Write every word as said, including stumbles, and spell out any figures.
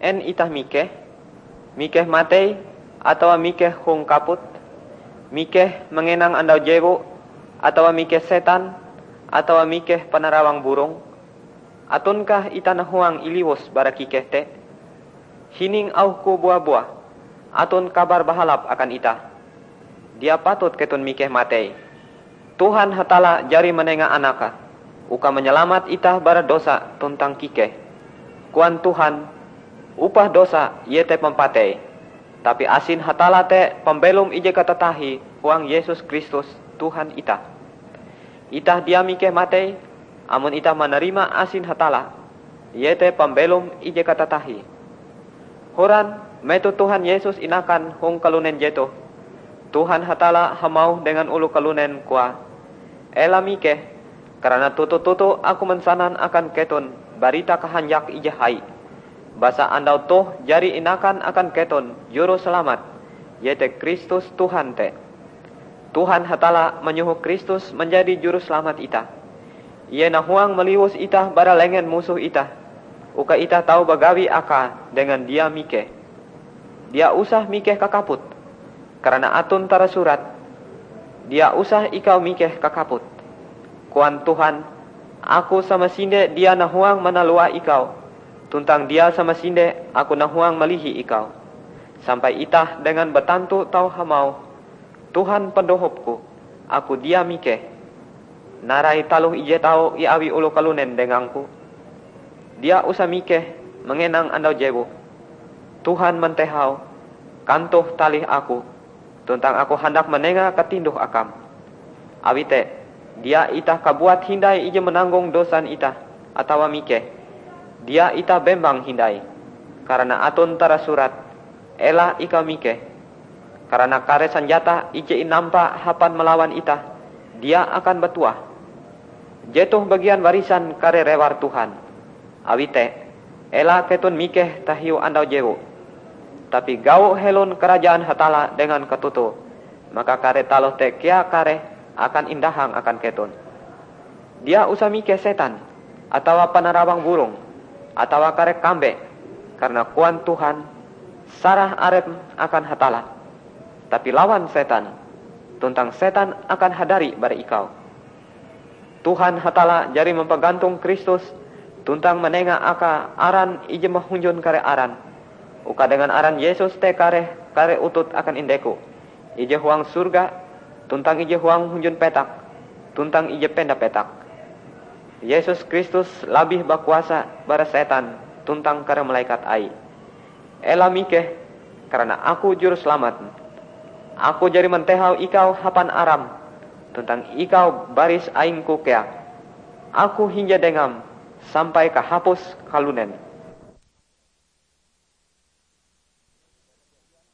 En itah mikeh? Mikeh matei, atawa mikeh hong kaput? Mikeh mangenang andau jewu, atawa mikeh setan, atawa mikeh panarawang burong? Atonkah itah nahuang iliwus bara kikeh te? Hining auhku bua-buah, aton kabar bahalap akan itah. Dia patut keton mikeh matei. Tuhan Hatalla jari manenga Anake, uka manyalamat itah bara dosa tuntang kikeh. Koan Tuhan, upah dosa iete pampatei. Tapi asin Hatalla te pambelom ije katatahie huang Yesus Kristus, Tuhan itah. Itah dia mikeh matei, amon itah manarima asin Hatalla, iete pambelom ije katatahie. Horan, metoh Tuhan Yesus inakan hong kalunen jetoh, Tuhan Hatalla hamauh dengan oloh kalunen, koae, "Ela mikeh, karana toto-toto Aku mansanan akan keton barita kahanjak ije hai. Basa andau toh jari inakan akan keton Jurusalamat, iete Kristus Tuhan te." Tuhan Hatalla manyoho Kristus manjadi Jurusalamat itah. Ie nahuang maliwus itah bara lengen musoh itah, uka itah tau bagawi Akae dengan dia mikeh. Dia usah mikeh kakaput, karana aton tarasurat, "Dia usah ikau mikeh kakaput." Koan Tuhan, "Aku samasinde dia nahuang manalua ikau, tuntang dia samasinde Aku nahuang malihi ikau." Sampai itah dengan batantu tau hamauh, "Tuhan pandohopku, aku dia mikeh. Narai taloh ije tau iawi oloh kalunen dengangku. Dia usah mikeh mangenang andau jewu. Tuhan mantehau, kantoh talih aku, tuntang aku handak manenga katinduh akam." Awi te, dia itah kabuat hindai ije mananggong dosan itah, atawa mikeh. Dia itah bembang hindai, karana aton tarasurat, "Ela ikau mikeh." Karana kare sanjata ije inampa hapan malawan itah, dia akan batuah. Jetoh bagian warisan kare rewar Tuhan. Awi te, ela keton mikeh tahiu andau jewu, tapi gau helon karajaan Hatalla dengan katoto, maka kare taloh te kea kareh akan indahang akan keton. Dia usah mikeh setan, atawa panarawang burong, atawa kare kambe, karana koan Tuhan, "Sarah arepm akan Hatalla, tapi lawan setan, tuntang setan akan hadari bara ikau." Tuhan Hatalla jari mampagantong Kristus tuntang manenga Akae aran ije mahunjun kare aran, uka dengan aran Yesus te kareh kare utut akan indeku, ije huang sorga, tuntang ije huang hunjun petak, tuntang ije penda petak. Yesus Kristus labih bakuasa bara setan tuntang kare malekat Aie. Ela mikeh, karana Aku Jurusalamat. Aku jari mantehau ikau hapan aram, tuntang ikau baris aingku kea. Aku hinje dengam sampai kahapus kalunen.